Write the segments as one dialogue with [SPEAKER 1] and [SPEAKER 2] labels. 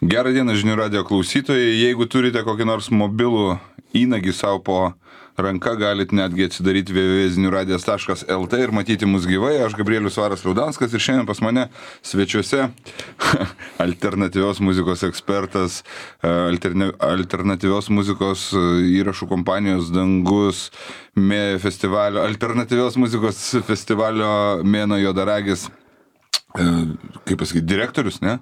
[SPEAKER 1] Gerą dieną žinių radio klausytojai. Jeigu turite kokį nors mobilų įnagį savo po ranka, galite netgi atsidaryti www.ziniuradijas.lt ir matyti mus gyvai. Aš Gabrielius Varas Liaudanskas ir šiandien pas mane svečiuose alternatyvios muzikos ekspertas, alternatyvios muzikos įrašų kompanijos Dangus festivalio, alternatyvios muzikos festivalio Mėnuo Juodaragis, kaip pasakyti, direktorius, ne?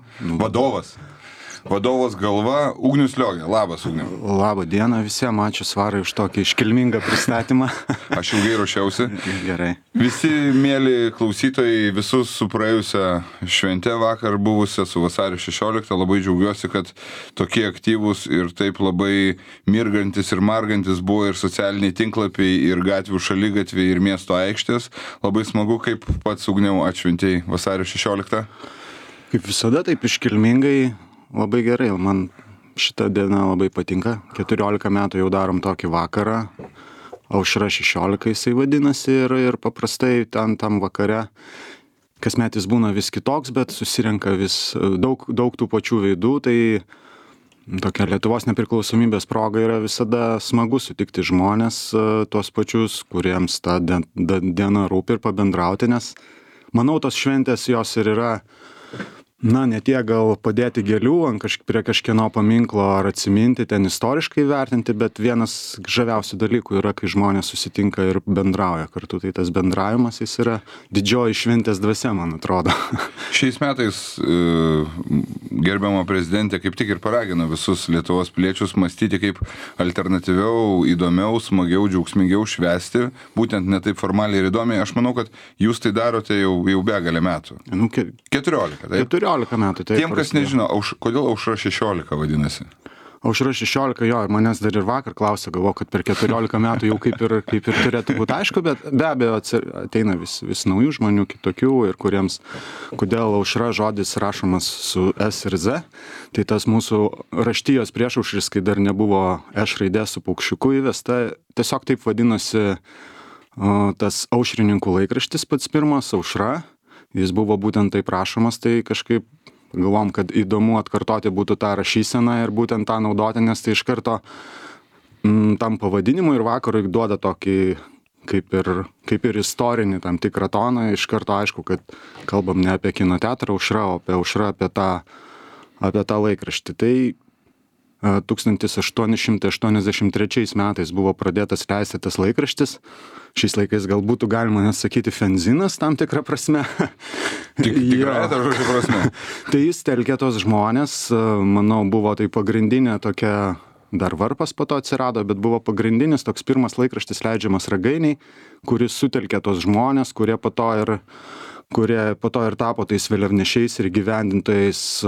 [SPEAKER 1] Vadovas galva Ugnius Liogė. Labas, Ugniau.
[SPEAKER 2] Labą dieną visiems, ačiū Svarai už tokį iškilmingą pristatymą.
[SPEAKER 1] Aš ilgai ruošiausi.
[SPEAKER 2] Gerai.
[SPEAKER 1] Visi mėly klausytojai, visus su praėjusią šventę vakar buvusią su vasario 16, labai džiaugiuosi, kad tokie aktyvūs ir taip labai mirgantis ir margantis buvo ir socialiniai tinklapiai, ir gatvių šaligatviai, ir miesto aikštės. Labai smagu, kaip pats Ugniau atšventėjai vasario 16.
[SPEAKER 2] Kaip visada, taip iškilmingai. Labai gerai, man šita diena labai patinka. 14 metų jau darom tokį vakarą. Aušra 16 jisai vadinasi ir paprastai tam vakare kasmet jis būna vis kitoks, bet susirenka vis daug tų pačių veidų. Tai tokia Lietuvos nepriklausomybės proga yra visada smagu sutikti žmonės, tuos pačius, kuriems ta diena rūpi ir pabendrauti, nes manau, tos šventės jos ir yra, ne tiek gal padėti gėlių prie kažkieno paminklo ar atsiminti, ten istoriškai vertinti, bet vienas žaviausių dalykų yra, kai žmonės susitinka ir bendrauja kartu. Tai tas bendravimas, jis yra didžioji šventės dvasia, man atrodo.
[SPEAKER 1] Šiais metais gerbiama prezidentė kaip tik ir paragino visus Lietuvos piliečius mąstyti, kaip alternatyviau, įdomiau, smagiau, džiaugsmingiau švęsti, būtent ne taip formaliai ir įdomiai. Aš manau, kad jūs tai darote jau begalę metų. 14, taip?
[SPEAKER 2] 14 metų.
[SPEAKER 1] Tiem, kas nežino, kodėl Aušra 16 vadinasi?
[SPEAKER 2] Aušra 16, jo, manęs dar ir vakar klausė, galvoju, kad per 14 metų jau kaip ir turėtų būti aišku, bet be abejo ateina vis naujų žmonių kitokių ir kodėl Aušra žodis rašomas su S ir Z, tai tas mūsų raštijos priešaušris, kai dar nebuvo Š raidė su paukščiuku įvesta, tiesiog taip vadinosi tas aušrininkų laikraštis pats pirmas, Aušra. Jis buvo būtent taip rašomas, tai kažkaip galvom, kad įdomu atkartoti būtų tą rašyseną ir būtent tą naudoti, nes tai iš karto tam pavadinimui ir vakarui duoda tokį kaip ir istorinį tam tikrą toną. Iš karto aišku, kad kalbam ne apie kino teatrą Aušra, o apie Aušrą, apie tą laikraštį. Tai 1883 metais buvo pradėtas leisti tas laikraštis. Šiais laikais gal būtų galima net sakyti fenzinas tam tikrą prasme.
[SPEAKER 1] Tikrai tą žodžio prasme.
[SPEAKER 2] Tai jis telkė tos žmonės, manau, buvo tai pagrindinė tokia, dar varpas po to atsirado, bet buvo pagrindinis toks pirmas laikraštis leidžiamas Ragainiai, kuris sutelkė tos žmonės, kurie po to ir tapo tais vėliavnešiais ir įgyvendintojais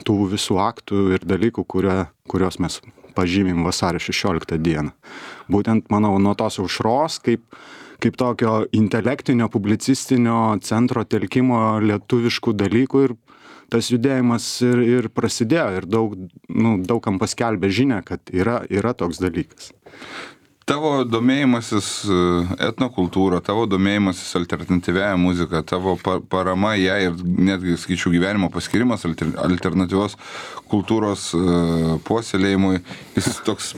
[SPEAKER 2] tų visų aktų ir dalykų, kuriuos mes pažymim vasario 16 dieną. Būtent, manau, nuo tos Aušros, kaip tokio intelektinio, publicistinio centro telkimo lietuviškų dalykų ir tas judėjimas ir prasidėjo ir daugam paskelbė žinią, kad yra toks dalykas.
[SPEAKER 1] Tavo domėjimasis etnokultūra, tavo domėjimasis alternatyvia muzika, tavo parama ją ir netgi, skaičiau, gyvenimo paskirimas alternatyvios kultūros puoselėjimui, jis toks,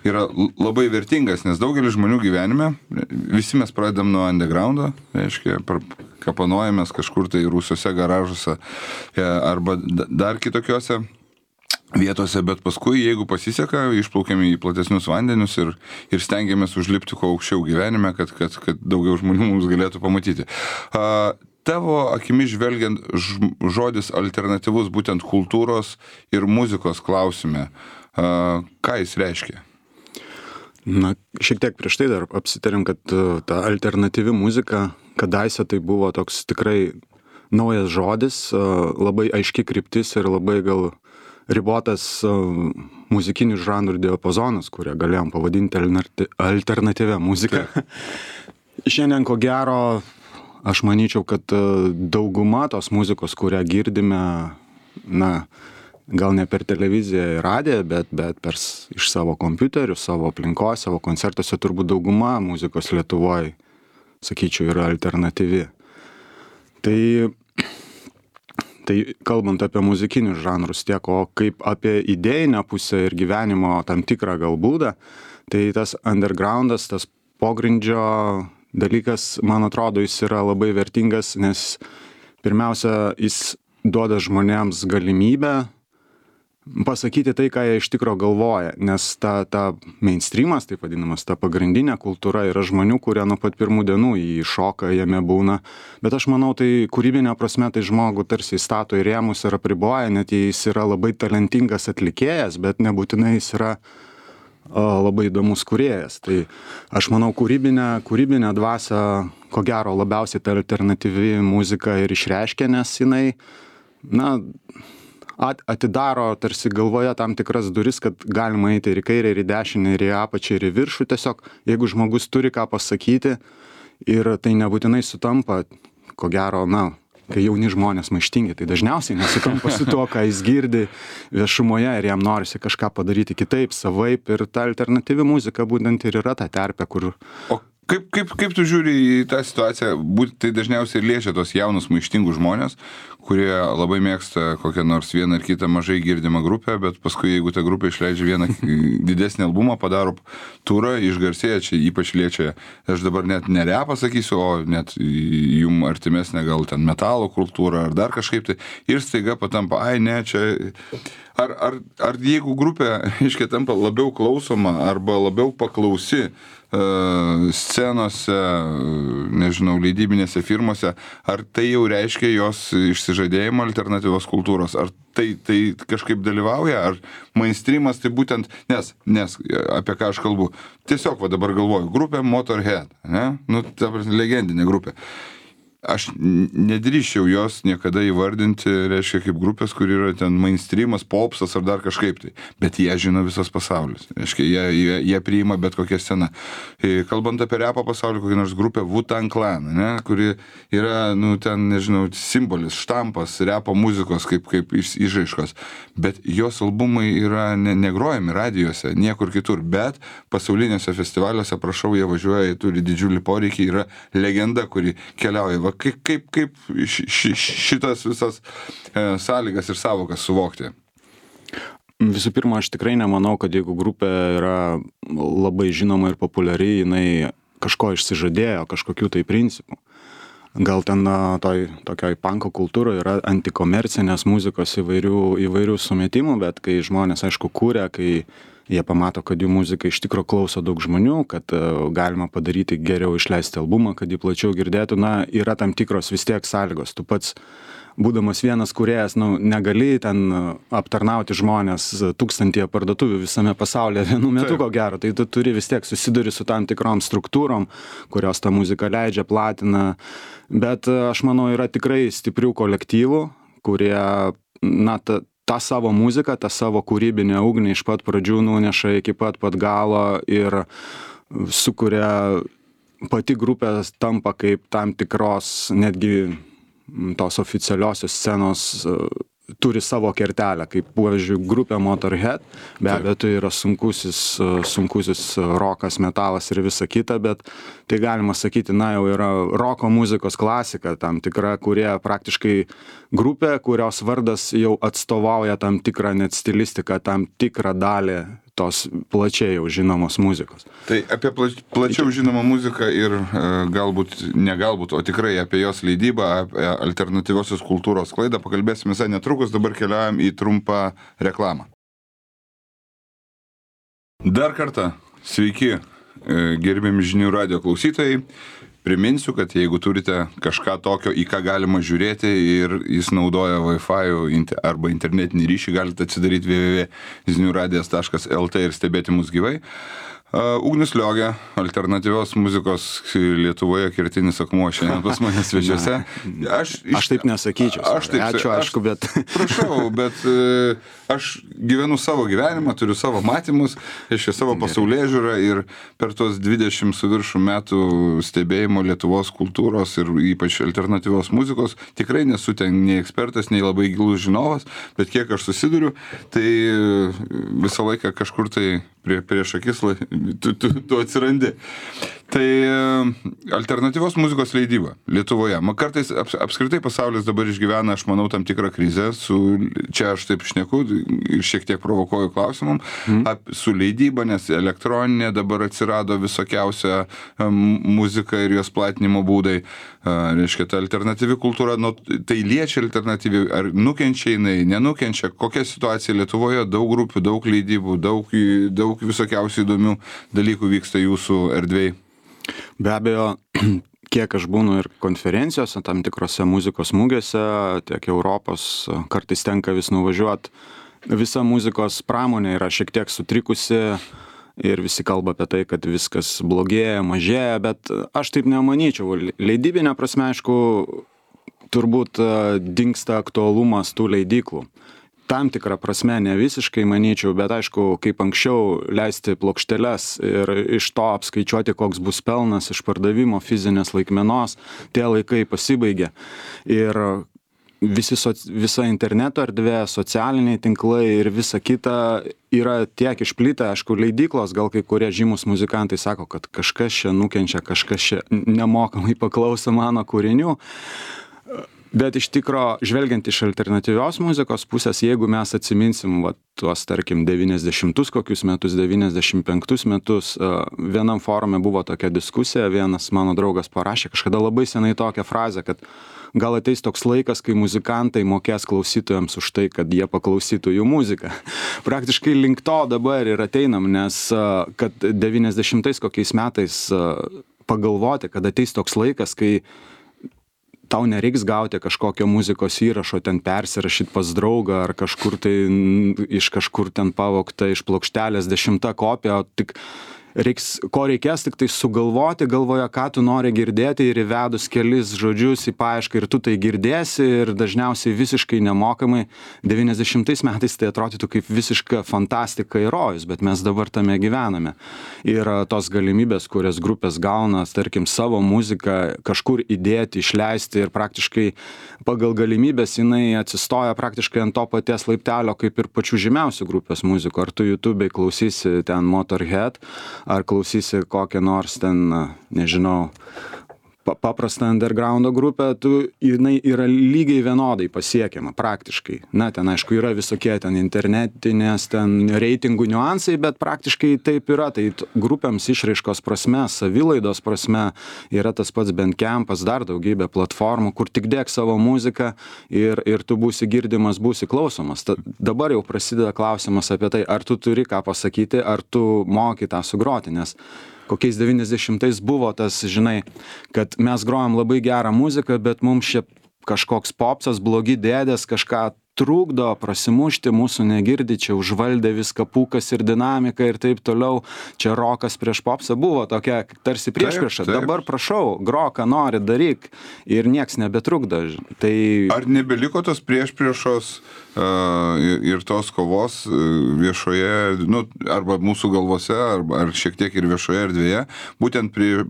[SPEAKER 1] yra labai vertingas, nes daugelis žmonių gyvenime, visi mes pradedam nuo undergroundo, reiškia, kapanojamės kažkur tai rūsiuose, garažuose arba dar kitokiuose vietose, bet paskui, jeigu pasiseka, išplaukiame į platesnius vandenius ir stengiamės užlipti kuo aukščiau gyvenime, kad daugiau žmonių mums galėtų pamatyti. Tavo akimis žvelgiant žodis alternatyvus būtent kultūros ir muzikos klausime, ką jis reiškia?
[SPEAKER 2] Šiek tiek prieš tai dar apsitarėm, kad ta alternatyvi muzika, kadaise tai buvo toks tikrai naujas žodis, labai aiški kryptis ir labai gal ribotas muzikinių žanrų diapazonas, kurią galėjom pavadinti alternatyvia muzika. Šiandien, ko gero, aš manyčiau, kad dauguma tos muzikos, kurią girdime, gal ne per televiziją ir radiją, bet iš savo kompiuterių, savo aplinkos, savo koncertuose, turbūt dauguma muzikos Lietuvoje, sakyčiau, yra alternatyvi. Tai Tai kalbant apie muzikinius žanrus tiek, o kaip apie idėjinę pusę ir gyvenimo tam tikrą gal būdą, tai tas undergroundas, tas pogrindžio dalykas, man atrodo, jis yra labai vertingas, nes pirmiausia, jis duoda žmonėms galimybę pasakyti tai, ką jie iš tikro galvoja, nes ta mainstreamas, taip vadinamas, ta pagrindinė kultūra yra žmonių, kurie nuo pat pirmų dienų jį šoka, jame būna, bet aš manau, tai kūrybinė prasme, tai žmogų tarsi įstato į rėmus ir apriboja, net jis yra labai talentingas atlikėjas, bet nebūtinai jis yra labai įdomus kūrėjas. Tai aš manau, kūrybinę dvasią, ko gero, labiausiai ta alternatyvi muzika ir išreiškia, nes jinai, atidaro tarsi galvoje tam tikras duris, kad galima eiti ir į kairę, ir į dešinę, ir į apačią, ir į viršų. Tiesiog, jeigu žmogus turi ką pasakyti ir tai nebūtinai sutampa, ko gero, kai jauni žmonės maištingi, tai dažniausiai nesutampa su to, ką jis girdi viešumoje ir jam norisi kažką padaryti kitaip, savaip, ir ta alternatyvi muzika būtent ir yra ta terpė, kur...
[SPEAKER 1] O kaip tu žiūri į tą situaciją, tai dažniausiai liečia tos jaunus maištingus žmonės, kurie labai mėgsta kokią nors vieną ar kitą mažai girdimą grupę, bet paskui, jeigu ta grupė išleidžia vieną didesnį albumą, padaro turą, išgarsėja, čia ypač liečia, aš dabar net ne repą sakysiu, o net jum artimesnė gal ten metalo kultūra ar dar kažkaip tai, ir staiga patampa, čia... Ar jeigu grupė, iškia, tampa labiau klausoma arba labiau paklausi scenose, nežinau, leidybinėse firmose, ar tai jau reiškia jos išsižadėjimą alternatyvos kultūros, ar tai kažkaip dalyvauja, ar mainstreamas tai būtent, nes apie ką aš kalbu, tiesiog dabar galvoju, grupė Motorhead, ne? Ta legendinė grupė. Aš nedrįščiau jos niekada įvardinti, reiškia, kaip grupės, kur yra ten mainstreamas, popsas ar dar kažkaip tai. Bet jie žino visas pasaulis. Reiškia, jie priima bet kokią sceną. Kalbant apie repo pasaulį, kokią nors grupę Wu-Tang Clan, ne, kuri yra, ten, nežinau, simbolis, štampas repo muzikos kaip išraiškos. Bet jos albumai yra negrojami radijose, niekur kitur. Bet pasaulinėse festivaliuose, prašau, jie važiuoja, turi didžiulį poreikį, yra legenda, kuri keliauja. Kaip šitas visas sąlygas ir savokas suvokti?
[SPEAKER 2] Visų pirma, aš tikrai nemanau, kad jeigu grupė yra labai žinoma ir populiari, jinai kažko išsižadėjo, kažkokių tai principų. Gal ten tokioj panko kultūroje yra antikomercinės muzikos įvairių sumetimų, bet kai žmonės, aišku, kūrė, kai jie pamato, kad jų muzika iš tikro klauso daug žmonių, kad galima padaryti geriau, išleisti albumą, kad jį plačiau girdėtų, yra tam tikros vis tiek sąlygos. Tu pats, būdamas vienas kūrėjas, negali ten aptarnauti žmonės 1000 parduotuvių visame pasaulyje vienu metu, ko gero. Tai tu turi vis tiek susiduri su tam tikrom struktūrom, kurios tą muziką leidžia, platina. Bet aš manau, yra tikrai stiprių kolektyvų, kurie, tą savo muziką, tą savo kūrybinę ugnį iš pat pradžių nuneša iki pat galo ir sukuria, pati grupė tampa kaip tam tikros netgi tos oficialiosios scenos turi savo kertelę, kaip, pavyzdžiui, grupė Motorhead, be abejo, tai yra sunkusis rokas, metalas ir visa kita, bet tai galima sakyti, jau yra roko muzikos klasika tam tikra, kurie praktiškai grupė, kurios vardas jau atstovauja tam tikrą net stilistiką, tam tikrą dalį tos plačiai jau žinomos muzikos.
[SPEAKER 1] Tai apie plačiau žinomą muziką ir negalbūt, o tikrai apie jos leidybą, apie alternatyviosios kultūros sklaidą pakalbėsime visai netrukus, dabar keliaujam į trumpą reklamą. Dar kartą, sveiki, gerbiami žinių radijo klausytojai. Priminsiu, kad jeigu turite kažką tokio, į ką galima žiūrėti ir jis naudoja Wi-Fi arba internetinį ryšį, galite atsidaryti www.ziniuradijas.lt ir stebėti mus gyvai. Ugnius Liogė, alternatyvios muzikos Lietuvoje kertinis akmuo šiandien pas mane svečiuose.
[SPEAKER 2] Aš taip nesakyčiau. Ačiū, aišku, bet...
[SPEAKER 1] Prašau, bet aš gyvenu savo gyvenimą, turiu savo matymus, savo pasaulėžiūrą ir per tos 20 su viršų metų stebėjimo Lietuvos kultūros ir ypač alternatyvios muzikos tikrai nesu ten nei ekspertas, nei labai gilus žinovas, bet kiek aš susiduriu, tai visą laiką kažkur tai prieš akis tu atsirandi. Tai alternatyvios muzikos leidyba Lietuvoje. Kartais apskritai pasaulis dabar išgyvena, aš manau, tam tikrą krizę. Čia aš taip šneku ir šiek tiek provokuoju klausimam. Su leidyba, nes elektroninė dabar atsirado visokiausia muzika ir jos platinimo būdai. Reiškia, ta alternatyvi kultūra, tai liečia alternatyvi, ar nukenčia jinai, nenukenčia, kokia situacija Lietuvoje, daug grupių, daug leidybų, daug visokiausių įdomių dalykų vyksta jūsų erdvėj.
[SPEAKER 2] Be abejo, kiek aš būnu ir konferencijose, tam tikrose muzikos mugėse, tiek Europos, kartais tenka vis nuvažiuoti, visa muzikos pramonė yra šiek tiek sutrikusi ir visi kalba apie tai, kad viskas blogėja, mažėja, bet aš taip nemanyčiau. Leidybinė prasme, aišku, turbūt dingsta aktualumas tų leidyklų. Tam tikrą prasme ne visiškai manyčiau, bet aišku, kaip anksčiau leisti plokšteles ir iš to apskaičiuoti, koks bus pelnas iš pardavimo fizinės laikmenos, tie laikai pasibaigė. Ir visa interneto erdvė, socialiniai tinklai ir visa kita yra tiek išplitę, aišku, leidyklos, gal kai kurie žymus muzikantai sako, kad kažkas čia nukenčia, kažkas čia nemokamai paklauso mano kūrinių. Bet iš tikro, žvelgiant iš alternatyvios muzikos pusės, jeigu mes atsiminsim tuos, tarkim, 90 kokius metus, 95 metus, vienam forume buvo tokia diskusija, vienas mano draugas parašė kažkada labai senai tokią frazę, kad gal ateis toks laikas, kai muzikantai mokės klausytojams už tai, kad jie paklausytų jų muziką. Praktiškai link to dabar ir ateinam, nes kad 90 kokiais metais pagalvoti, kad ateis toks laikas, kai tau nereiks gauti kažkokio muzikos įrašo, ten persirašyti pas draugą ar kažkur tai iš kažkur ten pavogta iš plokštelės 10 kopija, o tik ko reikės tik tai sugalvoti galvoje, ką tu nori girdėti ir įvedus kelis žodžius į paiešką ir tu tai girdėsi ir dažniausiai visiškai nemokamai. 90 metais tai atrodytų kaip visiška fantastika ir rojus, bet mes dabar tame gyvename. Ir tos galimybės, kurias grupės gauna, tarkim, savo muziką kažkur įdėti, išleisti ir praktiškai pagal galimybės jinai atsistoja praktiškai ant to paties laiptelio kaip ir pačių žymiausių grupės muzikų. Ar tu YouTube'ai klausysi ten Motorhead, ar klausysi kokią nors ten, nežinau, paprastą undergroundo grupę, jinai yra lygiai vienodai pasiekiama praktiškai. Na, ten aišku yra visokie ten internetinės, ten reitingų niuansai, bet praktiškai taip yra. Tai grupėms išraiškos prasme, savilaidos prasme yra tas pats Bandcampas, dar daugybė platformų, kur tik dėk savo muziką ir tu būsi girdimas, būsi klausomas. Dabar jau prasideda klausimas apie tai, ar tu turi ką pasakyti, ar tu moki tą sugroti, nes kokiais 90-ais buvo tas, žinai, kad mes grojam labai gerą muziką, bet mums čia kažkoks popsas, blogi dėdės, kažką trukdo prasimušti, mūsų negirdi, čia užvaldė viską pūkas ir dinamika ir taip toliau, čia rokas prieš popsą, buvo tokia tarsi priešprieša. Dabar prašau, grok, ką nori, daryk ir nieks nebetrukdo. Tai
[SPEAKER 1] ar nebeliko tos priešpriešos ir tos kovos viešoje, arba mūsų galvose, ar šiek tiek ir viešoje erdvėje, būtent prie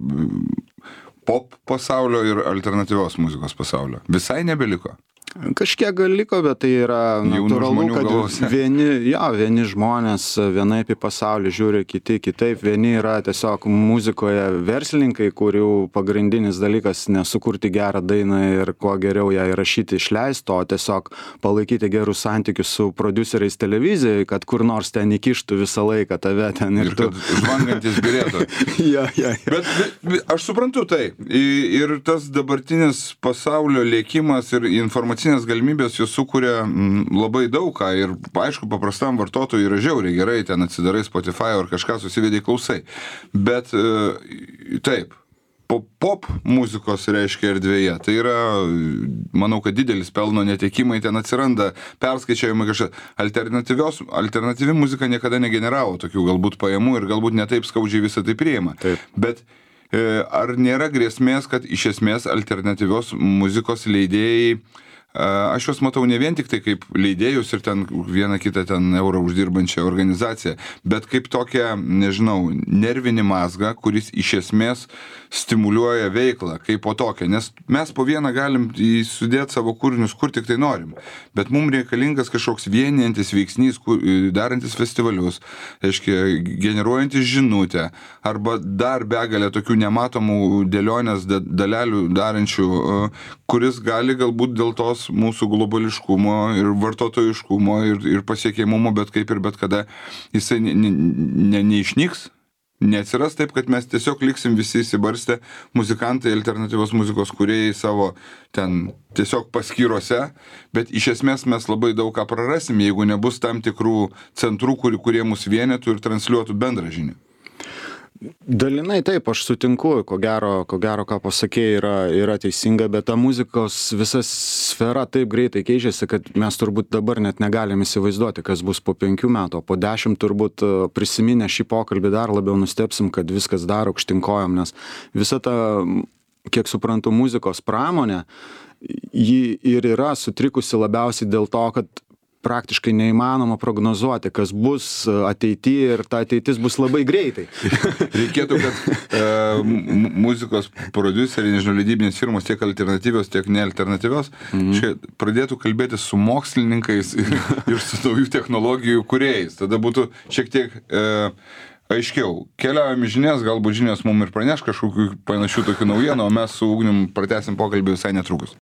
[SPEAKER 1] pop pasaulio ir alternatyvios muzikos pasaulio? Visai nebeliko?
[SPEAKER 2] Kažkiek gal liko, bet tai yra natūralu, kad vieni žmonės vienaip į pasaulį žiūri, kiti kitaip. Vieni yra tiesiog muzikoje verslininkai, kurių pagrindinis dalykas nesukurti gerą dainą ir kuo geriau ją įrašyti, išleisti, o tiesiog palaikyti gerus santykius su prodiuseriais televizijai, kad kur nors ten įkištų visą laiką tave ten
[SPEAKER 1] ir kad žvangantis birėtų. Bet aš suprantu tai. Ir tas dabartinis pasaulio lėkimas ir informacinės galimybės jos sukuria labai daug ką ir, aišku, paprastam vartotojui yra žiauriai gerai, ten atsidarai Spotify ar kažką susivedai klausai. Bet taip, pop muzikos reiškia erdvėje, tai yra, manau, kad didelis pelno netekimai ten atsiranda, perskaičiavimai kažką. Alternatyvi muzika niekada negeneravo tokių galbūt pajamų ir galbūt netaip skaudžiai visą tai priima.
[SPEAKER 2] Taip.
[SPEAKER 1] Bet ar nėra grėsmės, kad iš esmės alternatyvios muzikos leidėjai aš juos matau ne vien tik tai kaip leidėjus ir ten vieną kitą ten eurą uždirbančią organizaciją, bet kaip tokią, nežinau, nervinį mazgą, kuris iš esmės stimuliuoja veiklą kaip po tokią, nes mes po vieną galim sudėti savo kūrinius, kur tik tai norim, bet mums reikalingas kažkoks vienijantis veiksnys, darantis festivalius, reiškia, generuojantis žinutę, arba dar begalę tokių nematomų dėlionės dalelių darančių, kuris gali galbūt dėl tos mūsų globališkumo ir vartotojiškumo ir pasiekiamumo, bet kaip ir bet kada jisai neišnyks, neatsiras taip, kad mes tiesiog liksim visi įsibarstę muzikantai, alternatyvos muzikos kūrėjai savo ten tiesiog paskyrose, bet iš esmės mes labai daug ką prarasim, jeigu nebus tam tikrų centrų, kurie mus vienytų ir transliuotų bendrą žinią.
[SPEAKER 2] Dalinai taip, aš sutinku, ko gero, ką pasakėjai, yra teisinga, bet ta muzikos visa sfera taip greitai keičiasi, kad mes turbūt dabar net negalim įsivaizduoti, kas bus po 5 metų, po 10 turbūt prisiminę šį pokalbį dar labiau nustebsim, kad viskas dar aukštinkojom, nes visa ta, kiek suprantu, muzikos pramonė, ji ir yra sutrikusi labiausiai dėl to, kad praktiškai neįmanoma prognozuoti, kas bus ateityje ir ta ateitis bus labai greitai.
[SPEAKER 1] Reikėtų, kad muzikos prodiuseriai, nežinau, leidybinės firmos, tiek alternatyvios, tiek nealternatyvios, pradėtų kalbėti su mokslininkais ir su naujų technologijų kūrėjais. Tada būtų šiek tiek aiškiau. Keliaujame žinias, galbūt žinios mums ir praneš kažkokių panašių tokių naujienų, o mes su Ugnium pratęsim pokalbį visai netrukus.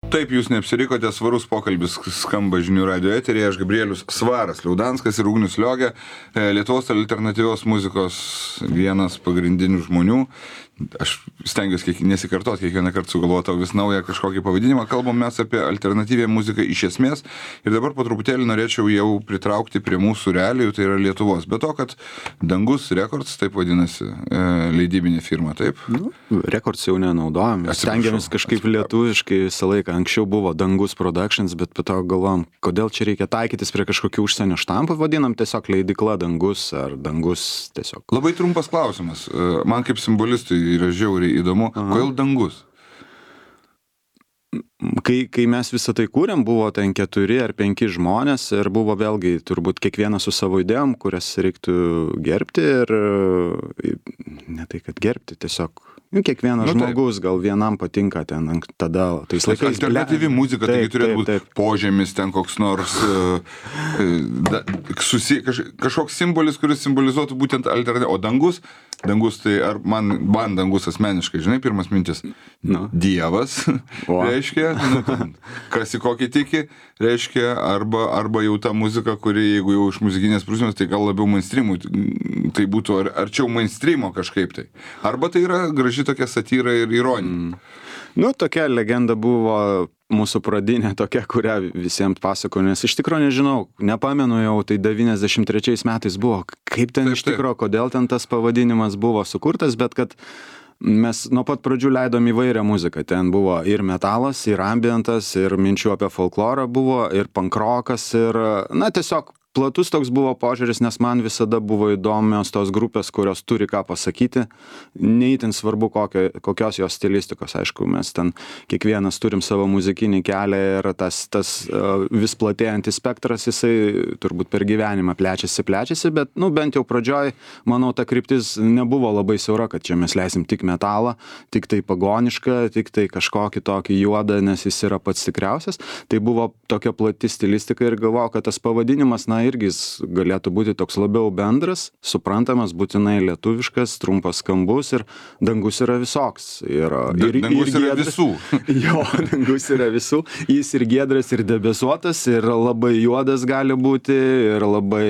[SPEAKER 1] Taip, jūs neapsirikote, svarus pokalbis skamba žinių radio eteryje, aš Gabrielius Svaras Liaudanskas ir Ugnius Liogė, Lietuvos alternatyvios muzikos vienas pagrindinių žmonių. Aš stengiuosi nesikartoti, kiekvieną kartą sugalvoti vis naują kažkokį pavadinimą. Kalbam mes apie alternatyvią muziką iš esmės ir dabar po truputėlį norėčiau jau pritraukti prie mūsų realijų, tai yra Lietuvos. Be to, kad Dangus Records, taip vadinasi, leidybinė firma, taip?
[SPEAKER 2] Records jau nenaudojam, stengiamės kažkaip lietuviškai visą laiką. Anksčiau buvo Dangus Productions, bet po to galvom, kodėl čia reikia taikytis prie kažkokių užsienio štampų, vadinam tiesiog leidykla Dangus ar Dangus tiesiog.
[SPEAKER 1] Labai trumpas klausimas, man kaip simbolistui yra žiauriai įdomu, kodėl Dangus?
[SPEAKER 2] Kai mes visą tai kūrėm, buvo ten 4 ar 5 žmonės ir buvo vėlgi turbūt kiekvienas su savo idėjom, kurias reiktų gerbti ir ne tai, kad gerbti, tiesiog kiekvienas žmogus, gal vienam patinka ten tada, tais laikais.
[SPEAKER 1] Alternatyvi muzika, taigi turėtų būti požemis, ten koks nors kažkoks simbolis, kuris simbolizuotų būtent alternatyvą. O Dangus tai ar man Dangus asmeniškai, žinai, pirmas mintis, Dievas, reiškia, kas į kokį tiki, reiškia, arba jau ta muzika, kuri, jeigu jau iš muzikinės prasmės, tai gal labiau mainstreamui, tai būtų arčiau mainstreamo kažkaip tai. Arba tai yra graži tokia satyra ir ironija.
[SPEAKER 2] Tokia legenda buvo mūsų pradinė tokia, kurią visiems pasakoju, nes iš tikrųjų nežinau, nepamenu jau, tai 93 metais buvo, kaip ten iš tikrųjų, kodėl ten tas pavadinimas buvo sukurtas, bet kad mes nuo pat pradžių leidom įvairią muziką, ten buvo ir metalas, ir ambientas, ir minčių apie folklorą buvo, ir pankrokas, ir, tiesiog platus toks buvo požiūris, nes man visada buvo įdomios tos grupės, kurios turi ką pasakyti, neįtin svarbu kokios jos stilistikos, aišku, mes ten kiekvienas turim savo muzikinį kelią ir tas vis platėjantis spektras, jisai turbūt per gyvenimą plečiasi, bet, bent jau pradžioj, manau, ta kryptis nebuvo labai siaura, kad čia mes leisim tik metalą, tik tai pagonišką, tik tai kažkokį tokį juodą, nes jis yra pats tikriausias, tai buvo tokia plati stilistika ir galvojau, kad tas pavadinimas, irgi jis galėtų būti toks labiau bendras, suprantamas, būtinai lietuviškas, trumpas, skambus ir Dangus yra visoks.
[SPEAKER 1] Dangus yra visų.
[SPEAKER 2] Jo, Dangus yra visų. Jis ir giedras, ir debesuotas, ir labai juodas gali būti, ir labai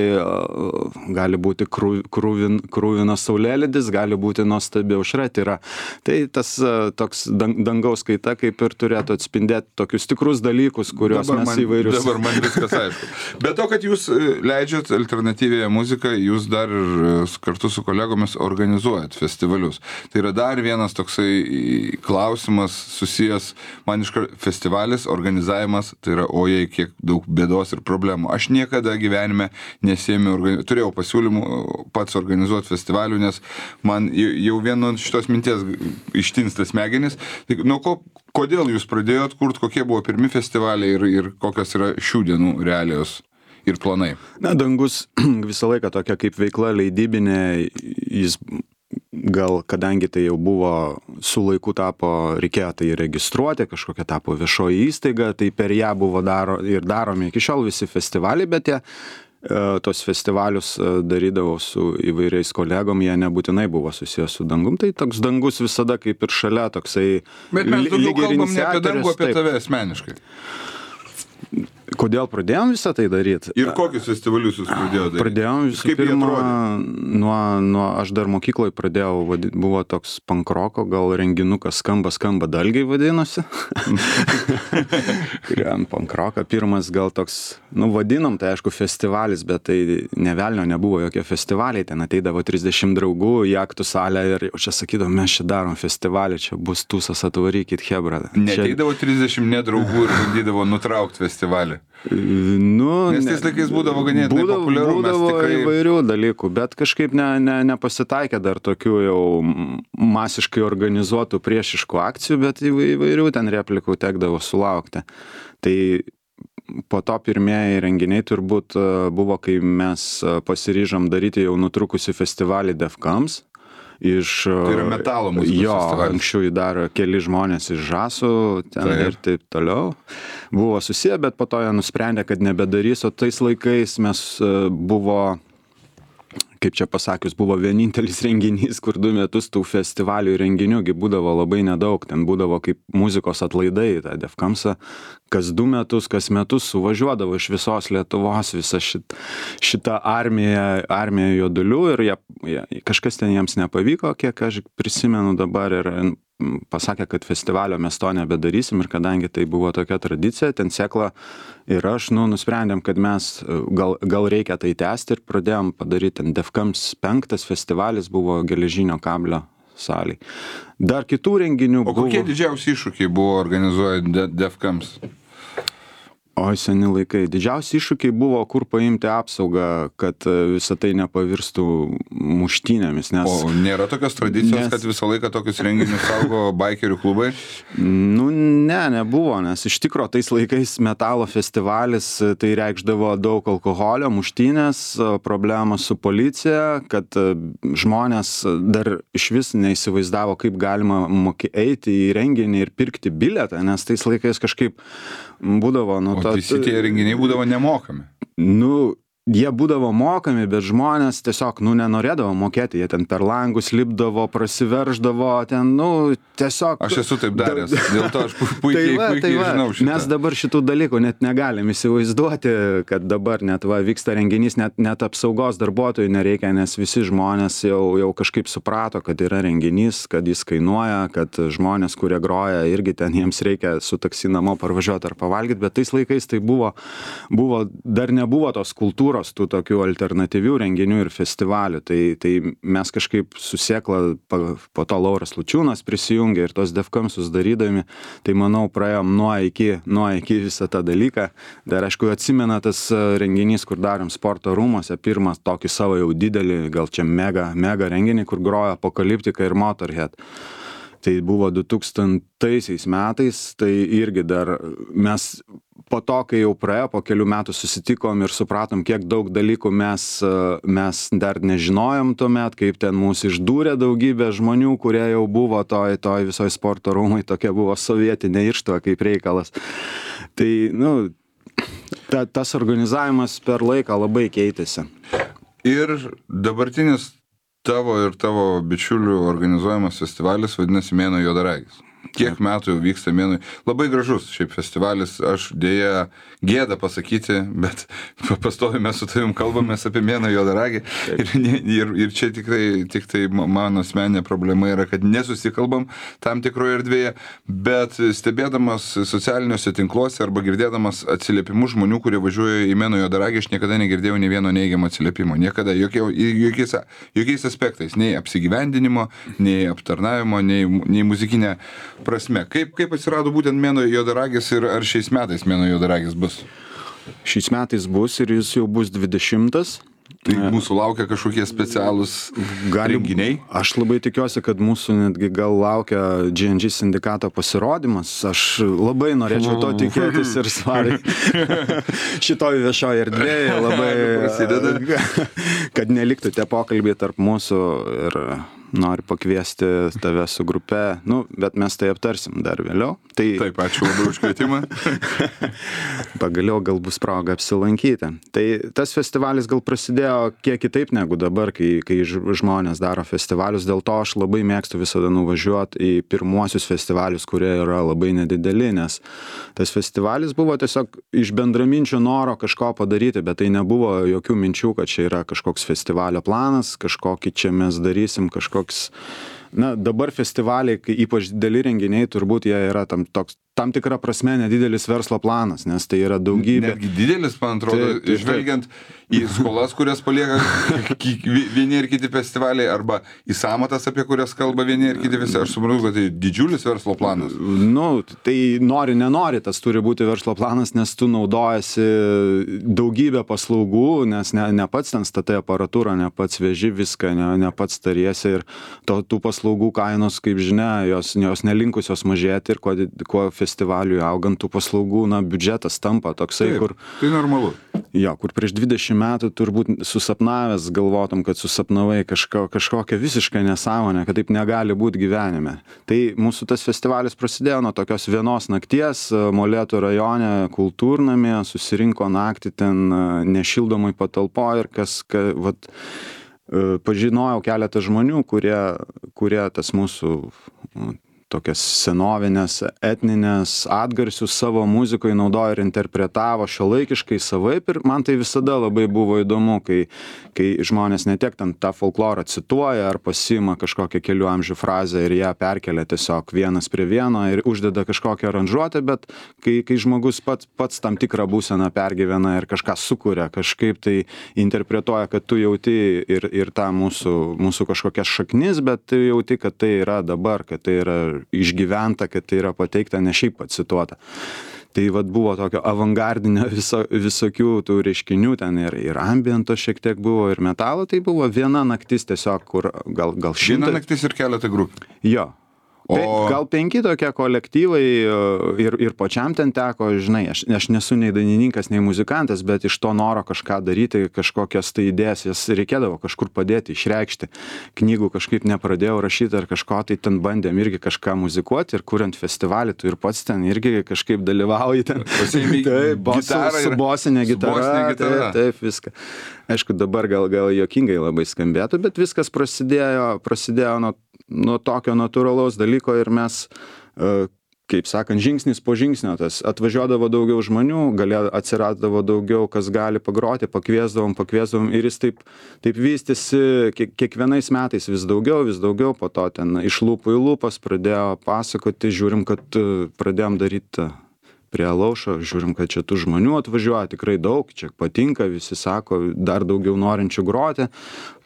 [SPEAKER 2] gali būti krūvinas saulėlydis, gali būti nuostabi aušra. Tai tas toks dangaus kaita kaip ir turėtų atspindėti tokius tikrus dalykus, kuriuos mes įvairius.
[SPEAKER 1] Dabar man viskas aišku. Bet to, kad jūs leidžiat alternatyvėje muziką, jūs dar ir kartu su kolegomis organizuojat festivalius. Tai yra dar vienas toksai klausimas susijęs, man festivalis, organizavimas, tai yra ojei, kiek daug bėdos ir problemų. Aš niekada gyvenime turėjau pasiūlymų pats organizuoti festivalių, nes man jau vienu šitos minties ištinsta smegenis. Tai kodėl jūs pradėjot kurti, kokie buvo pirmi festivaliai ir kokios yra šių dienų realijos ir planai?
[SPEAKER 2] Na, Dangus visą laiką tokia kaip veikla leidybinė, jis gal, kadangi tai jau buvo su laiku reikėjo tai registruoti, kažkokia tapo viešoji įstaiga, tai per ją buvo daromi iki šiol visi festivaliai, bet tos festivalius darydavau su įvairiais kolegom, jie nebūtinai buvo susijęs su Dangum, tai toks Dangus visada kaip ir šalia toksai.
[SPEAKER 1] Bet mes daugiau kalbam ne apie Dangų, apie tave asmeniškai.
[SPEAKER 2] Kodėl pradėjom visą tai daryti?
[SPEAKER 1] Ir kokius festivalius jūs pradėjote daryti?
[SPEAKER 2] Pradėjom visų pirma, aš dar mokykloje pradėjau, buvo toks pankroko, gal renginukas skamba dalgiai vadinosi. Kuriam pankroką, pirmas gal toks, vadinom, tai aišku festivalis, bet tai nevelnio nebuvo jokie festivaliai, ten ateidavo 30 draugų į aktų salę ir čia sakydavo, mes čia darom festivalį, čia bus tūsas, atvarykit hebra.
[SPEAKER 1] Neteidavo 30 nedraugų ir bandydavo nutraukti festivalį. Nes tais laikais būdavo ganėtinai populiaru.
[SPEAKER 2] Būdavo įvairių dalykų, bet kažkaip nepasitaikė dar tokių jau masiškai organizuotų priešiškų akcijų, bet įvairių ten replikų tekdavo sulaukti. Tai po to pirmieji renginiai turbūt buvo, kai mes pasiryžom daryti jau nutrukusi festivalį Defkams. Tai
[SPEAKER 1] yra metalo muzikos festivalis.
[SPEAKER 2] Anksčiau dar keli žmonės iš Žasų ten ir taip toliau buvo susiję, bet po to jie nusprendė, kad nebedarys, o tais laikais mes buvo, kaip čia pasakius, buvo vienintelis renginys, kur 2 metus tų festivalių ir renginių būdavo labai nedaug, ten būdavo kaip muzikos atlaidai, ta Defkamsa, kas 2 metus, kas metus suvažiuodavo iš visos Lietuvos visa šita armija juodulių ir kažkas ten jiems nepavyko, kiek aš prisimenu dabar ir pasakė, kad festivalio mes to nebedarysim ir kadangi tai buvo tokia tradicija, ten Sekla ir aš nusprendėm, kad mes gal reikia tai tęsti ir pradėjom padaryti ten Defkams 5 festivalis buvo Geležinio kablio salėj. Dar kitų renginių buvo.
[SPEAKER 1] O kokie didžiausi iššūkiai buvo organizuojant Defkams?
[SPEAKER 2] Oi, seni laikai. Didžiausi iššūkiai buvo, kur paimti apsaugą, kad visą tai nepavirstų muštynėmis.
[SPEAKER 1] O nėra tokios tradicijos, kad visą laiką tokius renginius saugo baikerių klubai?
[SPEAKER 2] Nebuvo, nes iš tikro tais laikais metalo festivalis tai reikšdavo daug alkoholio, muštynės, problemos su policija, kad žmonės dar iš vis neįsivaizdavo, kaip galima eiti į renginį ir pirkti bilietą, nes tais laikais kažkaip būdavo,
[SPEAKER 1] visi tie renginiai būdavo nemokami.
[SPEAKER 2] Jie būdavo mokami, bet žmonės tiesiog, nenorėdavo mokėti, jie ten per langus lipdavo, prasiverždavo, ten, tiesiog...
[SPEAKER 1] Aš esu taip daręs, dėl to aš puikiai žinau šitą.
[SPEAKER 2] Mes dabar šitų dalykų net negalim įsivaizduoti, kad dabar net vyksta renginys, net apsaugos darbuotojų nereikia, nes visi žmonės jau kažkaip suprato, kad yra renginys, kad jis kainuoja, kad žmonės, kurie groja, irgi ten jiems reikia su taksi namo parvažiuoti ar pavalgyti, bet tais laikais tai buvo dar nebuvo tos kultūros, tų tokių alternatyvių renginių ir festivalių. Tai mes kažkaip su Sekla, po to Lauras Lučiūnas prisijungė ir tos Defkamsus darydami, tai manau praėjom nuo iki visą tą dalyką. Dar aišku atsimena tas renginys, kur darėm sporto rūmuose, pirmas tokį savo jau didelį, gal čia mega renginį, kur grojo Apokaliptika ir Motorhead. Tai buvo 2000 metais, tai irgi dar mes po to, kai jau praėjo, po kelių metų susitikom ir supratom, kiek daug dalykų mes dar nežinojom tuomet, kaip ten mūsų išdūrė daugybė žmonių, kurie jau buvo toj visoje sporto rūmai, tokia buvo sovietinė irštva kaip reikalas. Tai, tas organizavimas per laiką labai keitėsi.
[SPEAKER 1] Ir dabartinis tavo ir tavo bičiulių organizuojamas festivalis vadinasi Mėnuo juodaragis. Kiek metų jau vyksta Mėnuo. Labai gražus šiaip festivalis, aš dėja gėda pasakyti, bet pastovi mes su tavim kalbamės apie Mėnuo juodaragį ir čia tik tai mano asmeninė problema yra, kad nesusikalbam tam tikroje erdvėje, bet stebėdamas socialiniuose tinkluose arba girdėdamas atsiliepimus žmonių, kurie važiuoja į Mėnuo juodaragį, aš niekada negirdėjau nei vieno neigiamo atsiliepimo, niekada, jokiais aspektais, nei apsigyvendinimo, nei aptarnavimo, nei muzikinė prasme. Kaip atsirado būtent Mėnuo juodaragis ir ar šiais metais Mėnuo juodaragis bus?
[SPEAKER 2] Šiais metais bus ir jis jau bus 20.
[SPEAKER 1] Tai mūsų laukia kažkokie specialūs renginiai?
[SPEAKER 2] Aš labai tikiuosi, kad mūsų netgi gal laukia G&G sindikato pasirodymas. Aš labai norėčiau to tikėtis ir svariai šitoj viešoje erdvėje labai, kad neliktų tie pokalbiai tarp mūsų ir noriu pakviesti tave su grupe, bet mes tai aptarsim dar vėliau.
[SPEAKER 1] Taip, ačiū labai už kvietimą.
[SPEAKER 2] Pagaliau gal bus proga apsilankyti. Tai tas festivalis gal prasidėjo kiek kitaip negu dabar, kai žmonės daro festivalius. Dėl to aš labai mėgstu visada nuvažiuoti į pirmuosius festivalius, kurie yra labai nedideli, nes tas festivalis buvo tiesiog iš bendraminčio noro kažko padaryti, bet tai nebuvo jokių minčių, kad čia yra kažkoks festivalio planas, kažkokį čia mes darysim, dabar festivaliai, ypač dideli renginiai, turbūt jie yra tam tikra prasme nedidelis verslo planas, nes tai yra daugybė.
[SPEAKER 1] Netgi didelis, man atrodo, žvelgiant į skolas, kurias palieka vieni ir kiti festivaliai, arba į sąmatas, apie kurias kalba vieni ir kiti visi. Aš suprantu, kad tai didžiulis verslo planas.
[SPEAKER 2] Tai nenori, tas turi būti verslo planas, nes tu naudojasi daugybę paslaugų, nes ne pats ten statai aparatūrą, ne pats veži viską, ne pats tariesi ir tų paslaugų kainos, kaip žinia, jos nelinkusios mažėti ir kuo festivaliui augant tų paslaugų, biudžetas tampa toksai,
[SPEAKER 1] kur... Tai normalu.
[SPEAKER 2] Jo, kur prieš 20 metų turbūt susapnavęs galvotum, kad susapnavai kažkokią visišką nesąmonę, kad taip negali būti gyvenime. Tai mūsų tas festivalis prasidėjo nuo tokios vienos nakties Molėtų rajone kultūrnamyje, susirinko naktį ten nešildomai patalpoje ir pažinojau keletą žmonių, kurie tas mūsų tokias senovinės, etninės atgarsius savo muzikoje naudojo ir interpretavo šiuolaikiškai savaip ir man tai visada labai buvo įdomu, kai žmonės ne tiek ten tą folklorą cituoja ar pasiima kažkokią kelių amžių frazę ir ją perkelia tiesiog vienas prie vieno ir uždeda kažkokią aranžuotę, bet kai žmogus pats tam tikrą būseną pergyvena ir kažką sukuria, kažkaip tai interpretuoja, kad tu jauti ir tą mūsų kažkokias šaknis, bet tu jauti, kad tai yra dabar, kad tai yra išgyventa, kad tai yra pateikta, ne šiaip pacituota. Tai buvo tokio avangardinio visokių tų reiškinių, ten ir ambiento šiek tiek buvo, ir metalo, tai buvo viena naktis tiesiog, kur gal 100...
[SPEAKER 1] Viena naktis ir keletą grupių.
[SPEAKER 2] Jo. Gal 5 tokie kolektyvai ir pačiam ten teko, žinai, aš nesu nei dainininkas, nei muzikantas, bet iš to noro kažką daryti, kažkokias tai idėjas, jas reikėdavo kažkur padėti, išreikšti. Knygų kažkaip nepradėjau rašyti ar kažko, tai ten bandėm irgi kažką muzikuoti ir kuriant festivalį, tu ir pats ten irgi kažkaip dalyvauji ten. Su bosinė gitara. Taip, viską. Aišku, dabar gal juokingai labai skambėtų, bet viskas prasidėjo nuo tokio natūralaus dalyko ir mes, kaip sakant, žingsnis po žingsnio, tas atvažiuodavo daugiau žmonių, atsiradavo daugiau, kas gali pagroti, pakviesdavom ir jis taip vystėsi kiekvienais metais vis daugiau, po to ten iš lūpų į lūpas pradėjo pasakoti, žiūrim, kad pradėjom daryti prie Alaušo, žiūrim, kad čia tų žmonių atvažiuoja tikrai daug, čia patinka, visi sako, dar daugiau norinčių groti,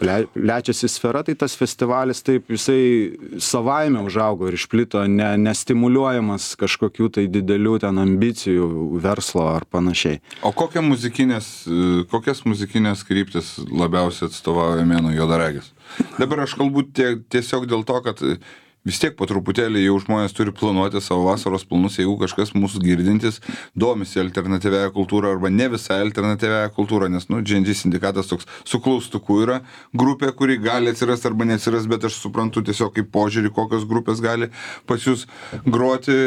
[SPEAKER 2] plečiasi sfera, tai tas festivalis taip visai savaime užaugo ir išplito, nestimuliuojamas kažkokių tai didelių ten ambicijų, verslo ar panašiai.
[SPEAKER 1] O kokias muzikinės kryptis labiausiai atstovauja Mėnuo juodaragis? Dabar aš kalbu tiesiog dėl to, kad vis tiek po truputėlį jau žmonės turi planuoti savo vasaros planus, jeigu kažkas mūsų girdintis domisi alternatyviąją kultūrą arba ne visai alternatyviąją kultūrą, nes, G&G sindikatas toks su klaustuku yra grupė, kuri gali atsirasti arba neatsiras, bet aš suprantu tiesiog kaip požiūrį, kokios grupės gali pas jūs groti,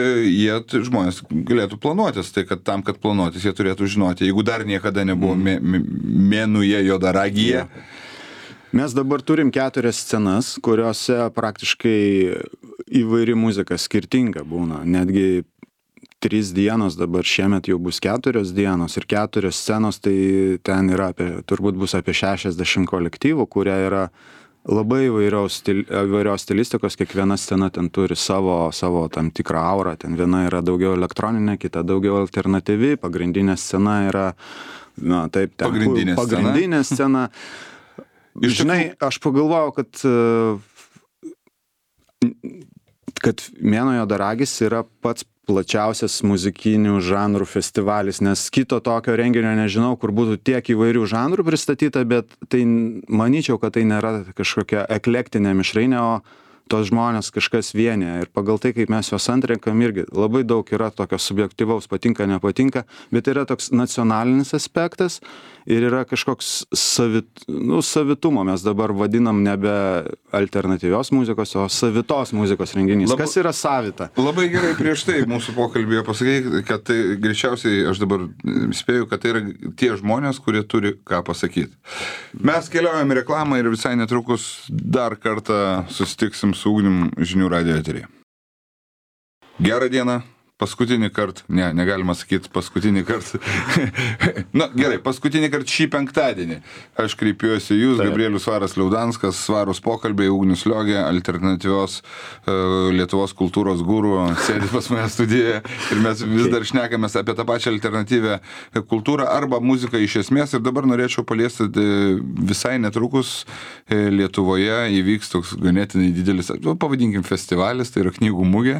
[SPEAKER 1] žmonės galėtų planuotis, tai kad tam, kad planuotis, jie turėtų žinoti, jeigu dar niekada nebuvo Mėnuoje juodaragyje.
[SPEAKER 2] Mes dabar turim 4 scenas, kuriuose praktiškai įvairi muzika skirtinga būna, netgi 3 dienos, dabar šiemet jau bus 4 dienos ir 4 scenos, tai ten yra turbūt bus apie 60 kolektyvų, kurie yra labai įvairios stilistikos, kiekviena scena ten turi savo tam tikrą aurą, ten viena yra daugiau elektroninė, kita daugiau alternatyvi, pagrindinė scena yra, na taip, ten pagrindinė scena. Žinai, aš pagalvojau, kad Mėnuo Juodaragis yra pats plačiausias muzikinių žanrų festivalis, nes kito tokio renginio nežinau, kur būtų tiek įvairių žanrų pristatyta, bet tai manyčiau, kad tai nėra kažkokia eklektinė mišrainė, o tos žmonės kažkas vienyje. Ir pagal tai, kaip mes juos antrenkam, irgi labai daug yra tokio subjektyvaus, patinka, nepatinka, bet yra toks nacionalinis aspektas ir yra kažkoks savitumo. Mes dabar vadinam nebe alternatyvios muzikos, o savitos muzikos renginys. Kas yra savita?
[SPEAKER 1] Labai gerai prieš tai mūsų pokalbėje pasakei, kad tai greičiausiai, aš dabar spėju, kad tai yra tie žmonės, kurie turi ką pasakyti. Mes keliaujame reklamą ir visai netrukus dar kartą susitiksim su Ugnium žinių radijo eteryje. Gerą dieną. Paskutinį kartą, negalima sakyti paskutinį kartą. Na, gerai, paskutinį kartą šį penktadienį. Aš kreipiuosi jūs, Gabrielius Svaras Liaudanskas, Svarus pokalbiai, Ugnius Liogė, alternatyvios Lietuvos kultūros guru, sėdi pas mane studijoje ir mes vis dar šnekamės apie tą pačią alternatyvę kultūrą arba muziką iš esmės. Ir dabar norėčiau paliesti visai netrukus Lietuvoje įvyks toks ganėtinai didelis, pavadinkim, festivalis, tai yra knygų mugė,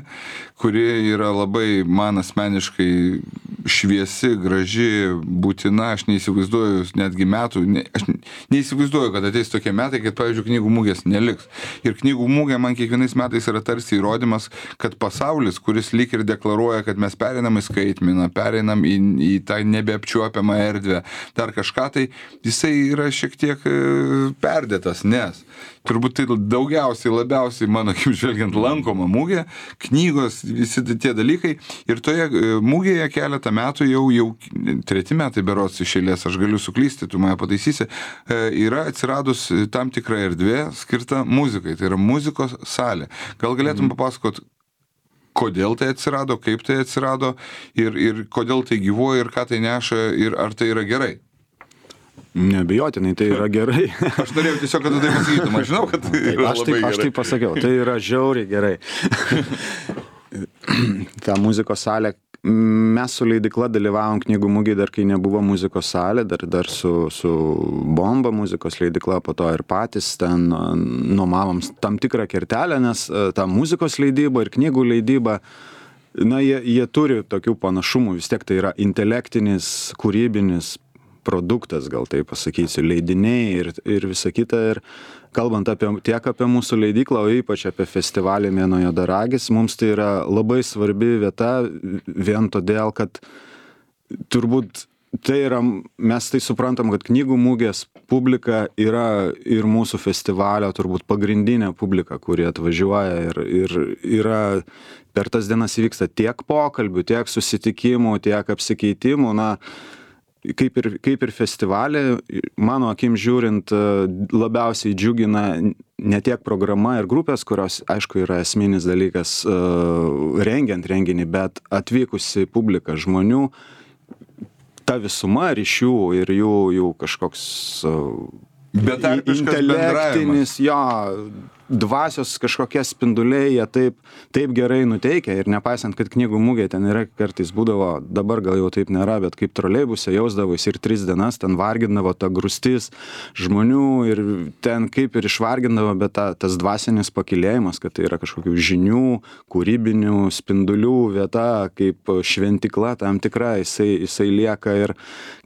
[SPEAKER 1] kuri yra labai man asmeniškai šviesi, graži, būtina, aš neįsivaizduoju netgi metų, aš neįsivaizduoju, kad ateis tokie metai, kad, pavyzdžiui, knygų mugės neliks. Ir knygų mugė man kiekvienais metais yra tarsi įrodymas, kad pasaulis, kuris lyg ir deklaruoja, kad mes pereinam į skaitmeną, pereinam į tą nebeapčiuopiamą erdvę, dar kažką, tai jisai yra šiek tiek perdėtas, nes turbūt tai daugiausiai, labiausiai, mano akim žvelgiant, lankoma mugė, knygos, visi tie dalykai. Ir toje mugėje keletą metų, jau 3 metai berods iš eilės, aš galiu suklysti, tu mane pataisysi, yra atsiradus tam tikra erdvė skirta muzikai, tai yra muzikos salė. Gal galėtum papasakot, kodėl tai atsirado, kaip tai atsirado ir kodėl tai gyvuoja ir ką tai neša ir ar tai yra gerai?
[SPEAKER 2] Neabejotinai, tai yra gerai.
[SPEAKER 1] Aš norėjau tiesiog, kad tu tai pasakytum, aš žinau, kad tai yra labai gerai.
[SPEAKER 2] Aš tai pasakiau, tai yra žiauriai gerai. Ta muzikos salė, mes su leidykla dalyvavom knygų mugėje dar kai nebuvo muzikos salė, dar su Bomba muzikos leidykla, po to ir patys ten nuomavom tam tikrą kertelę, nes ta muzikos leidyba ir knygų leidyba, na, jie turi tokių panašumų, vis tiek tai yra intelektinis, kūrybinis produktas, gal tai pasakysiu, leidiniai ir visa kita. Ir kalbant tiek apie mūsų leidyklą, o ypač apie festivalį Mėnuo Juodaragis, mums tai yra labai svarbi vieta, vien todėl, kad turbūt tai yra, mes tai suprantam, kad knygų mugės publika yra ir mūsų festivalio turbūt pagrindinė publika, kuri atvažiuoja ir yra per tas dienas įvyksta tiek pokalbių, tiek susitikimų, tiek apsikeitimų, na, kaip ir festivalį, mano akim žiūrint, labiausiai džiugina ne tiek programa ir grupės, kurios, aišku, yra esminis dalykas rengiant renginį, bet atvykusi publika žmonių, ta visuma ryšių ir jų kažkoks intelektinis, jo, dvasios kažkokie spinduliai, jie taip gerai nuteikia ir nepaisant, kad knygų mugė ten yra kartais būdavo, dabar gal jau taip nėra, bet kaip troleibuse jausdavosi ir 3 dienas ten vargindavo ta grūstis žmonių ir ten kaip ir išvargindavo, bet tas dvasinis pakilėjimas, kad tai yra kažkokių žinių, kūrybinių spindulių vieta, kaip šventikla tam tikra, jisai lieka ir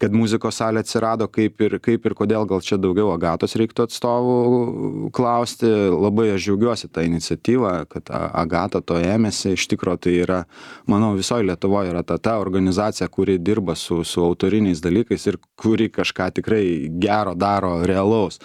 [SPEAKER 2] kad muzikos salė atsirado kaip ir kodėl, gal čia daugiau Agatos reiktų atstovų klausti. Labai aš džiaugiuosi tą iniciatyvą, kad Agata to ėmėsi, iš tikro tai yra, manau, visoje Lietuvoje yra ta organizacija, kuri dirba su autoriniais dalykais ir kuri kažką tikrai gero daro realaus.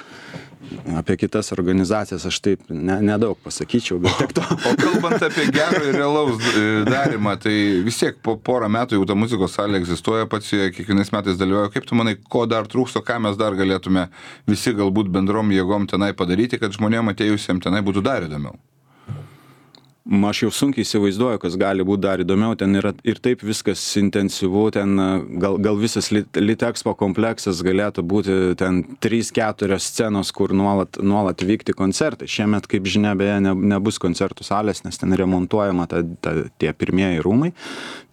[SPEAKER 2] Apie kitas organizacijas aš taip nedaug pasakyčiau, bet tik to.
[SPEAKER 1] O kalbant apie gerą ir realaus darimą, tai vis tiek po porą metų jau ta muzikos salė egzistuoja, pats kiekvienais metais dalyvauja. Kaip tu manai, ko dar trūksta, ką mes dar galėtume visi galbūt bendrom jėgom tenai padaryti, kad žmonėm atėjusiem tenai būtų dar įdomiau?
[SPEAKER 2] Aš jau sunkiai įsivaizduoju, kas gali būti dar įdomiau, ten yra ir taip viskas intensyvu, ten gal visas Litexpo kompleksas galėtų būti ten 3-4 scenos, kur nuolat vykti koncertai. Šiemet, kaip žinia, beje, nebus koncertų salės, nes ten remontuojama tie pirmieji rūmai,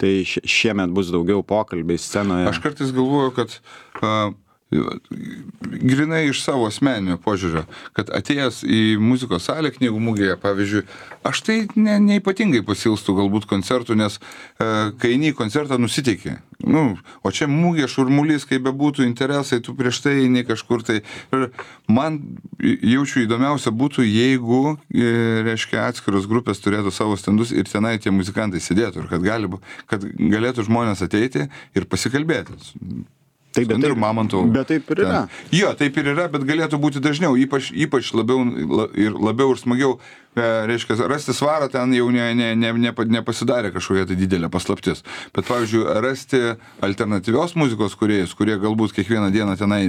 [SPEAKER 2] tai šiemet bus daugiau pokalbiai scenoje.
[SPEAKER 1] Aš kartais galvoju, kad grinai iš savo asmeninio požiūrio, kad atėjęs į muzikos salę knygų mugėje, pavyzdžiui, aš tai neypatingai pasilstu galbūt koncertų, nes kai eini į koncertą nusiteiki. O čia mugė, šurmulys, kaip bebūtų interesai, tu prieš tai eini kažkur tai. Man jaučiu įdomiausia būtų, jeigu, reiškia, atskiros grupės turėtų savo stendus ir tenai tie muzikantai sėdėtų ir kad galėtų žmonės ateiti ir pasikalbėti.
[SPEAKER 2] Taip, bet taip ir yra.
[SPEAKER 1] Jo, taip ir yra, bet galėtų būti dažniau, ypač labiau ir smagiau, reiškia, rasti svarą ten jau nepasidarė kažkokia tai didelė paslaptis. Bet, pavyzdžiui, rasti alternatyvios muzikos kūrėjus, kurie galbūt kiekvieną dieną tenai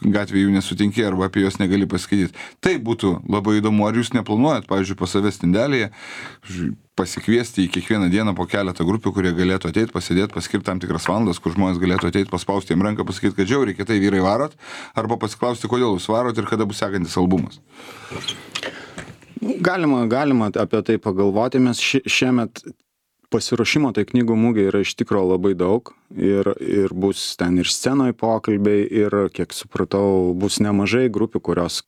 [SPEAKER 1] gatvėje jų nesutinki arba apie juos negali paskaityti. Tai būtų labai įdomu. Ar jūs neplanuojat, pavyzdžiui, pas save stendelėje pasikviesti į kiekvieną dieną po keletą grupių, kurie galėtų ateiti, pasėdėti, paskirti tam tikras valandas, kur žmonės galėtų ateiti, paspausti jiem ranką, pasakyti, kad žiauriai kietai vyrai varot, arba pasiklausti, kodėl jūs varot ir kada bus sekantis albumas.
[SPEAKER 2] Galima apie tai pagalvoti, mes šiemet pasiruošimo tai knygų mugė yra iš tikro labai daug ir bus ten ir scenoje pokalbiai ir, kiek supratau, bus nemažai grupių, kurios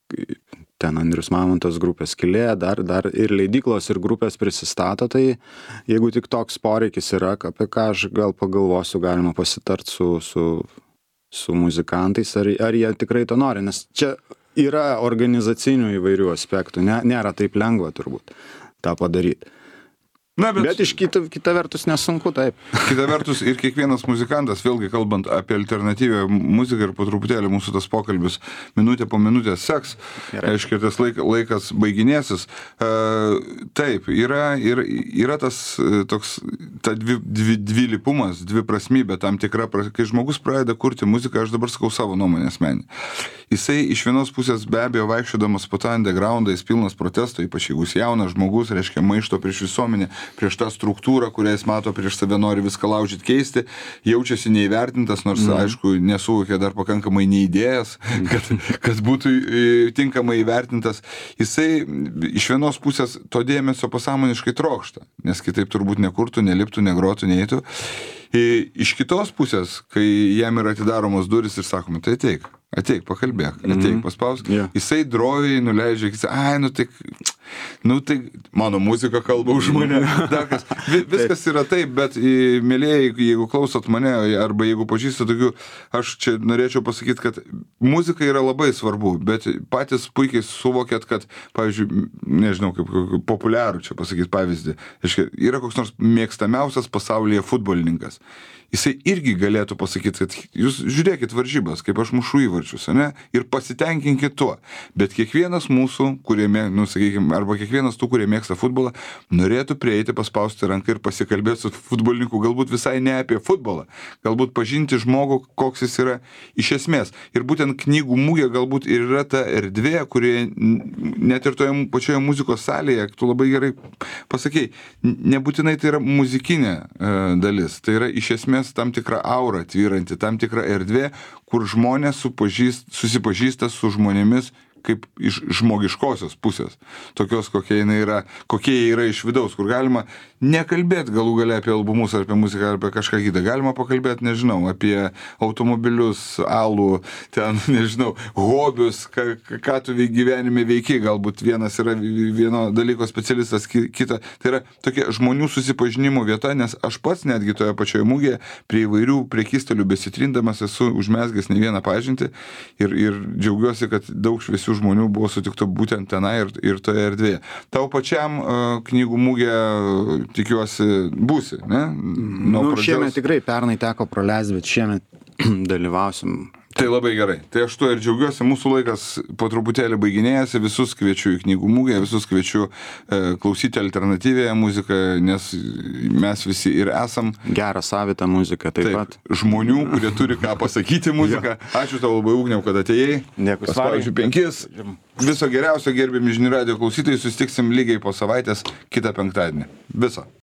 [SPEAKER 2] ten Andrius Mamontas grupės Skylė, dar ir leidyklos ir grupės prisistato, tai jeigu tik toks poreikis yra, apie ką aš gal pagalvosiu, galima pasitart su muzikantais, ar jie tikrai to nori, nes čia yra organizacinių įvairių aspektų, nėra taip lengva turbūt tą padaryti. Bet iš kita vertus nesunku, taip.
[SPEAKER 1] Kita vertus ir kiekvienas muzikantas, vėlgi kalbant apie alternatyvią muziką ir po truputėlį mūsų tas pokalbis minutė po minutės seks, aiškiai, tas laikas baiginėsis. Taip, yra tas toks, ta dvilypumas, dviprasmybė tam tikra, kai žmogus pradeda kurti muziką, aš dabar sakau savo nuomonę asmenį. Jisai iš vienos pusės be abejo vaikščiodamas po tą undergroundą, jis pilnas protesto, ypač jeigu jis jaunas žmogus, reiškia maišto prieš visuomenę, prieš tą struktūrą, kurią jis mato prieš save, nori viską laužyti, keisti, jaučiasi neįvertintas, nors, aišku, nesuvokė dar pakankamai neįdėjęs, kad būtų tinkamai įvertintas. Jisai iš vienos pusės to dėmesio pasąmoniškai trokšta, nes kitaip turbūt nekurtų, neliptų, negrotų, neįtų. Iš kitos pusės, kai jam yra atidaromos duris ir sakoma, tai ateik, pakalbėk, ateik, paspausk, jisai droviai nuleidžia, tai mano muzika kalba už mane, viskas yra taip, bet mėlėjai, jeigu klausot mane, arba jeigu pažįstat tokių, aš čia norėčiau pasakyti, kad muzika yra labai svarbu, bet patys puikiai suvokėt, kad, pavyzdžiui, nežinau, kaip populiarų čia pasakyti pavyzdį, yra koks nors mėgstamiausias pasaulyje futbolininkas. Jisai irgi galėtų pasakyti, kad jūs žiūrėkit varžybas, kaip aš mušu įvarčius, ne? Ir pasitenkinkit tuo. Bet kiekvienas mūsų, arba kiekvienas tų, kurie mėgsta futbolą, norėtų prieiti, paspausti ranką ir pasikalbėti su futbolininku, galbūt visai ne apie futbolą, galbūt pažinti žmogų, koks jis yra iš esmės. Ir būtent knygų mugė galbūt ir yra ta erdvė, kurie net ir toje pačioje muzikos salėje, tu labai gerai pasakei, nebūtinai tai yra muzikinė dalis, tai yra iš esmės tam tikra aura tvyranti, tam tikra erdvė, kur žmonės susipažįsta su žmonėmis kaip iš žmogiškosios pusės, tokios, kokie jie yra iš vidaus, kur galima nekalbėti galų gale apie albumus, ar apie muziką, ar apie kažką kitą. Galima pakalbėti, nežinau, apie automobilius, alų, ten, nežinau, hobius, ką tu gyvenime veiki, galbūt vienas yra vieno dalyko specialistas, kita. Tai yra tokia žmonių susipažinimo vieta, nes aš pats netgi toje pačioje mugėje prie įvairių prekystalių besitrindamas esu užmezgęs ne vieną pažintį ir džiaugiuosi, kad daug šviesių žmonių buvo sutikta būtent tenai ir toje erdvėje. Tau pačiam knygų mugė, tikiuosi, būsi, ne?
[SPEAKER 2] Šiemet tikrai pernai teko praleisti, bet šiemet dalyvausim
[SPEAKER 1] Tai labai gerai. Tai aš tuo ir džiaugiuosi. Mūsų laikas po truputėlį baiginėjasi. Visus kviečiu į knygų mugę, visus kviečiu klausyti alternatyvėje muziką, nes mes visi ir esam.
[SPEAKER 2] Gerą savitą muziką taip pat.
[SPEAKER 1] Žmonių, kurie turi ką pasakyti muziką. Ačiū tau labai, Ugniau, kad atėjai.
[SPEAKER 2] Dėkui,
[SPEAKER 1] Pavyzdžiui, 5. Viso geriausio, gerbiami žinių radijo klausytojai. Susitiksim lygiai po savaitės kitą penktadienį. Viso.